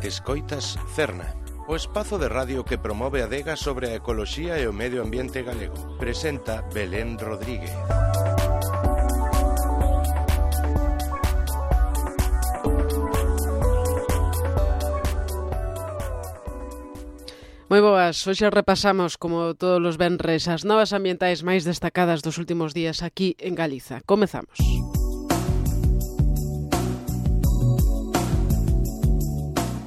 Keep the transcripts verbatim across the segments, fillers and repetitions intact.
Escoitas Cerna, o espazo de radio que promove a adega sobre a ecoloxía e o medio ambiente galego. Presenta Belén Rodríguez. Moi boas, hoxe repasamos, como todos os venres, as novas ambientais máis destacadas dos últimos días aquí en Galiza. Comezamos.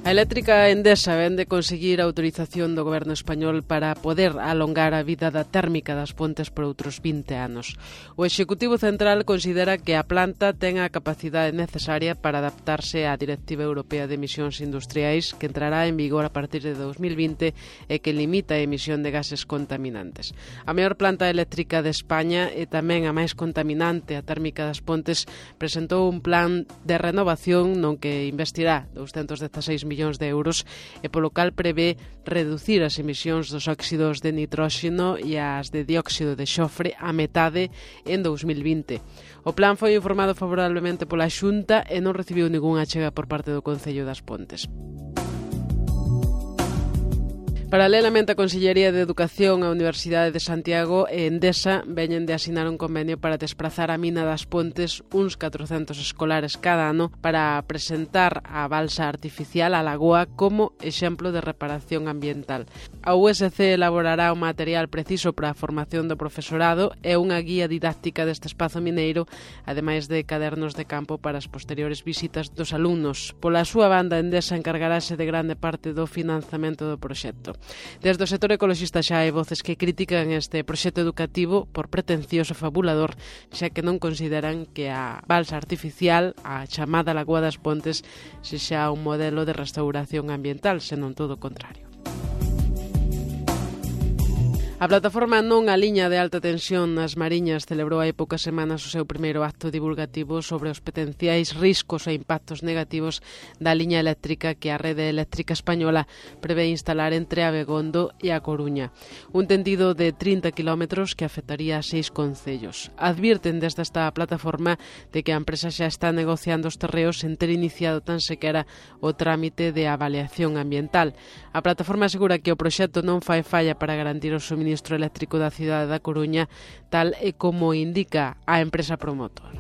A eléctrica Endesa vén de conseguir a autorización do goberno español para poder alongar a vida da térmica das Pontes por outros vinte anos. O Executivo Central considera que a planta ten a capacidade necesaria para adaptarse á Directiva Europea de Emisións Industriais, que entrará en vigor a partir de dos mil vinte e que limita a emisión de gases contaminantes. A maior planta eléctrica de España e tamén a máis contaminante, a térmica das Pontes, presentou un plan de renovación non que investirá douscentos dezasseis millóns de euros e polo cal prevé reducir as emisións dos óxidos de nitróxeno e as de dióxido de xofre a metade en dos mil vinte. O plan foi informado favorablemente pola Xunta e non recibiu ningunha achega por parte do Concello das Pontes. Paralelamente, a Consellería de Educación, a Universidade de Santiago e Endesa veñen de asinar un convenio para desprazar a mina das Pontes uns catrocentos escolares cada ano para presentar a balsa artificial a lagoa como exemplo de reparación ambiental. A U S C elaborará o material preciso para a formación do profesorado e unha guía didáctica deste espazo mineiro, ademais de cadernos de campo para as posteriores visitas dos alumnos. Pola súa banda, Endesa encargarase de grande parte do financiamento do proxecto. Desde o sector ecoloxista xa hai voces que critican este proxecto educativo por pretencioso e fabulador, xa que non consideran que a balsa artificial, a chamada Lagoa das Pontes, sexa un modelo de restauración ambiental, senón todo o contrario. A plataforma Non a liña de alta tensión nas Mariñas celebrou hai poucas semanas o seu primeiro acto divulgativo sobre os potenciais riscos e impactos negativos da liña eléctrica que a Rede Eléctrica Española prevé instalar entre Abegondo e A Coruña. Un tendido de trinta quilómetros que afectaría a seis concellos. Advirten desde esta plataforma de que a empresa xa está negociando os terreos sen ter iniciado tan sequera o trámite de avaliación ambiental. A plataforma asegura que o proxecto non fai falla para garantir o suministro Ministro eléctrico da cidade da Coruña, tal e como indica a empresa promotora.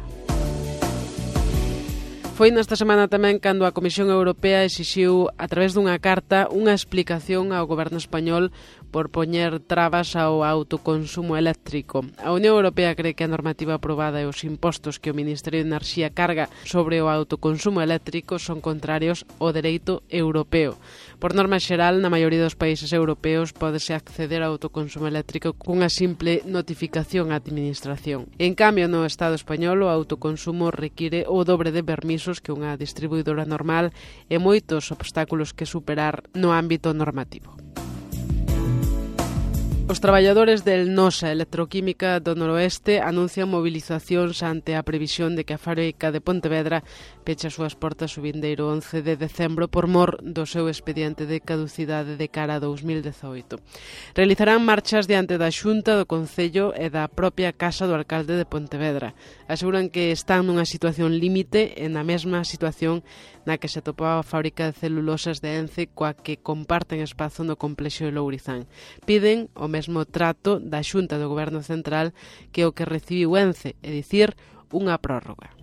Foi nesta semana tamén cando a Comisión Europea exixiu, a través dunha carta, unha explicación ao goberno español por poñer trabas ao autoconsumo eléctrico. A Unión Europea cree que a normativa aprobada e os impostos que o Ministerio de Enerxía carga sobre o autoconsumo eléctrico son contrarios ao dereito europeo. Por norma xeral, na maioría dos países europeos pódese acceder ao autoconsumo eléctrico cunha simple notificación á administración. En cambio, no Estado español, o autoconsumo require o dobre de permisos que unha distribuidora normal e moitos obstáculos que superar no ámbito normativo. Os traballadores del Nosa Electroquímica do Noroeste anuncian movilizacións ante a previsión de que a fábrica de Pontevedra peche as súas portas o vindeiro once de decembro por mor do seu expediente de caducidade de cara a dos mil dezaoito. Realizarán marchas diante da Xunta do Concello e da propia Casa do Alcalde de Pontevedra. Aseguran que están nunha situación límite e na mesma situación na que se atopaba a fábrica de celulosas de Ence coa que comparten espazo no complexo de Lourizán. Piden o mesmo trato da Xunta do Goberno Central que o que recibiu Ence, é dicir, unha prórroga.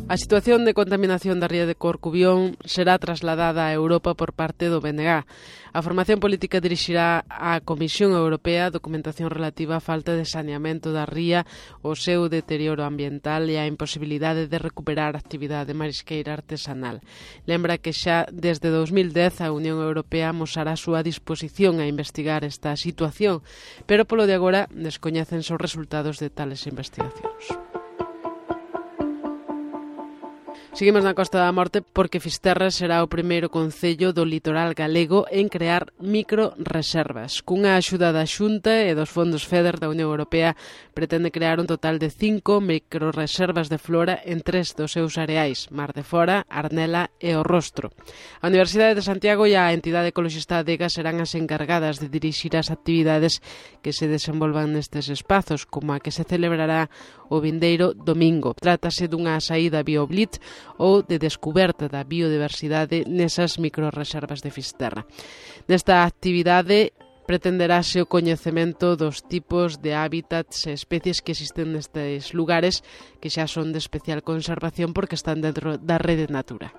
A situación de contaminación da ría de Corcubión será trasladada a Europa por parte do B N G. A formación política dirixirá á Comisión Europea a documentación relativa á falta de saneamento da ría, o seu deterioro ambiental e a imposibilidade de recuperar a actividade marisqueira artesanal. Lembra que xa desde dos mil dez a Unión Europea amosará a súa disposición a investigar esta situación, pero polo de agora descoñécense os resultados de tales investigacións. Seguimos na Costa da Morte porque Fisterra será o primeiro concello do litoral galego en crear microreservas. Cunha axuda da Xunta e dos fondos FEDER da Unión Europea pretende crear un total de cinco microreservas de flora en tres dos seus areais, Mar de Fora, Arnela e O Rostro. A Universidade de Santiago e a entidade ecoloxista Adega serán as encargadas de dirixir as actividades que se desenvolvan nestes espazos, como a que se celebrará o vindeiro domingo. Trátase dunha saída BioBlit ou de descoberta da biodiversidade nesas microrreservas de Fisterra. Nesta actividade pretenderase o coñecemento dos tipos de hábitats e especies que existen nestes lugares que xa son de especial conservación porque están dentro da Rede Natura.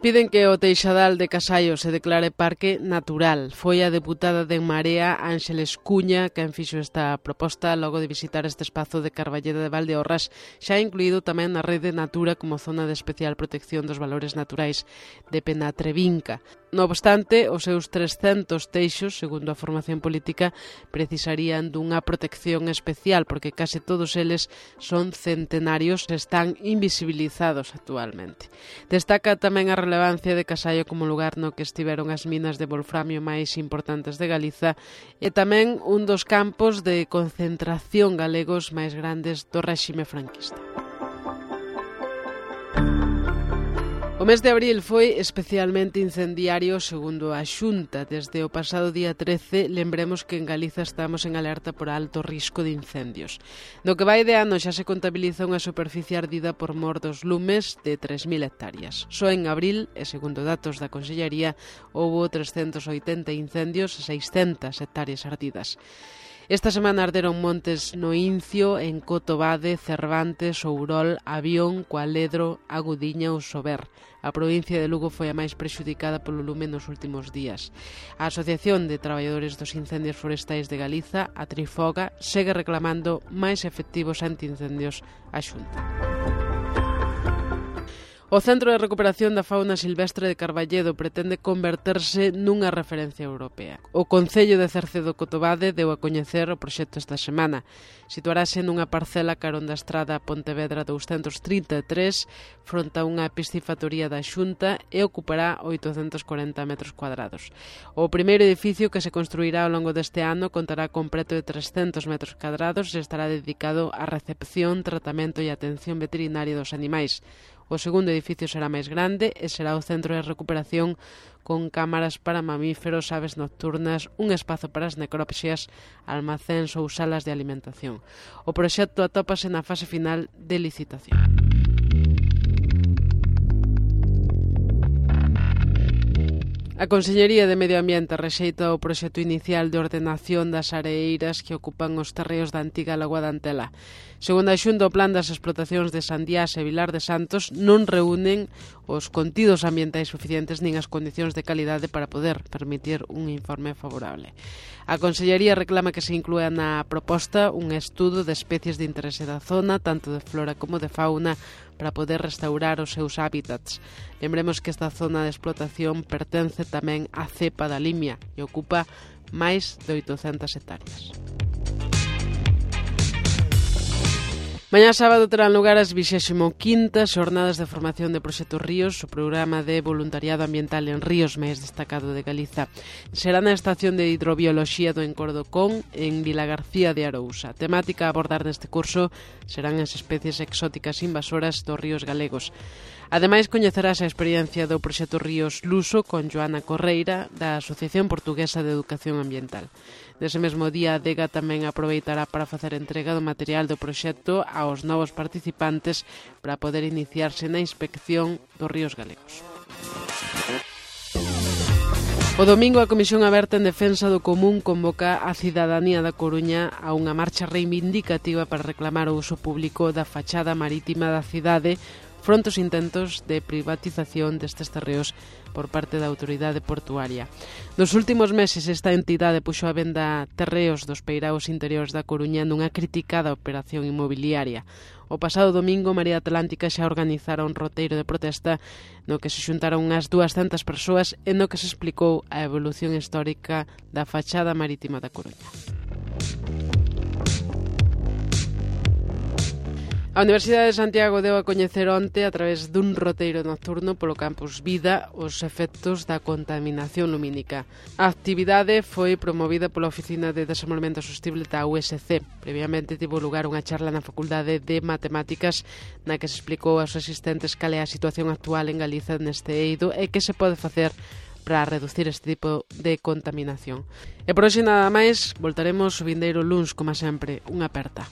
Piden que o Teixadal de Casallo se declare parque natural. Foi a deputada de En Marea, Ángeles Cuña, quen fixo esta proposta logo de visitar este espazo de Carballeda de Valdeorras, xa incluído tamén na Rede Natura como zona de especial protección dos valores naturais de Penatrevinca. No obstante, os seus trescentos teixos, segundo a formación política, precisarían dunha protección especial porque case todos eles son centenarios e están invisibilizados actualmente. Destaca tamén a relevancia de Casallo como lugar no que estiveron as minas de wolframio máis importantes de Galiza e tamén un dos campos de concentración galegos máis grandes do réxime franquista. O mes de abril foi especialmente incendiario segundo a Xunta. Desde o pasado día trece, lembremos que en Galiza estamos en alerta por alto risco de incendios. No que vai de ano xa se contabiliza unha superficie ardida por mor dos lumes de tres mil hectáreas. Só en abril, e segundo datos da Consellería, houbo trescentos oitenta incendios e seiscentas hectáreas ardidas. Esta semana arderon montes no Incio, en Cotobade, Cervantes, Ourol, Avión, Cualedro, Agudiña ou Sober. A provincia de Lugo foi a máis prexudicada polo lume nos últimos días. A Asociación de Traballadores dos Incendios Forestais de Galiza, a Trifoga, segue reclamando máis efectivos antiincendios á Xunta. O Centro de Recuperación da Fauna Silvestre de Carballedo pretende converterse nunha referencia europea. O Concello de Cercedo Cotobade deu a coñecer o proxecto esta semana. Situarase nunha parcela carón da estrada Pontevedra douscentos trinta e tres, fronte a unha piscifactoría da Xunta e ocupará oitocentos corenta metros cuadrados. O primeiro edificio que se construirá ao longo deste ano contará con preto de trescentos metros cuadrados e estará dedicado á recepción, tratamento e atención veterinaria dos animais. O segundo edificio será máis grande e será o centro de recuperación con cámaras para mamíferos, aves nocturnas, un espazo para as necropsias, almacéns ou salas de alimentación. O proxecto atópase na fase final de licitación. A Consellería de Medio Ambiente rexeita o proxecto inicial de ordenación das areeiras que ocupan os terreos da antiga Lagoa da Antela. Segundo a Xunta, o plan das explotacións de Sandiás e Vilar de Santos non reúnen os contidos ambientais suficientes nin as condicións de calidade para poder permitir un informe favorable. A Consellería reclama que se inclúa na proposta un estudo de especies de interese da zona, tanto de flora como de fauna, para poder restaurar os seus hábitats. Lembremos que esta zona de explotación pertence tamén á cepa da Limia e ocupa máis de oitocentas hectáreas. Mañá sábado terán lugar as vixésimo quintas Xornadas de Formación de Proxectos Ríos, o programa de voluntariado ambiental en ríos máis destacado de Galiza. Será na estación de hidrobioloxía do Encordocón, en Vilagarcía de Arousa. A temática a abordar neste curso serán as especies exóticas invasoras dos ríos galegos. Ademais, coñecerás a experiencia do proxecto Ríos Luso con Joana Correira, da Asociación Portuguesa de Educación Ambiental. Nese mesmo día, a Adega tamén aproveitará para facer entrega do material do proxecto aos novos participantes para poder iniciarse na inspección dos ríos galegos. O domingo, a Comisión Aberta en Defensa do Común convoca a cidadanía da Coruña a unha marcha reivindicativa para reclamar o uso público da fachada marítima da cidade fronte aos intentos de privatización destes terreos por parte da autoridade portuaria. Nos últimos meses, esta entidade puxo a venda terreos dos peiraos interiores da Coruña nunha criticada operación inmobiliaria. O pasado domingo, Marea Atlántica xa organizara un roteiro de protesta no que se xuntaron unhas duascentas persoas e no que se explicou a evolución histórica da fachada marítima da Coruña. A Universidade de Santiago deu a coñecer onte, a través dun roteiro nocturno polo campus Vida, os efectos da contaminación lumínica. A actividade foi promovida pola Oficina de Desenvolvemento Sostible da U S C. Previamente tivo lugar unha charla na Facultade de Matemáticas na que se explicou aos asistentes cal é a situación actual en Galiza neste eido e que se pode facer para reducir este tipo de contaminación. E por hoxe nada máis, voltaremos o vindeiro luns, como sempre, unha aperta.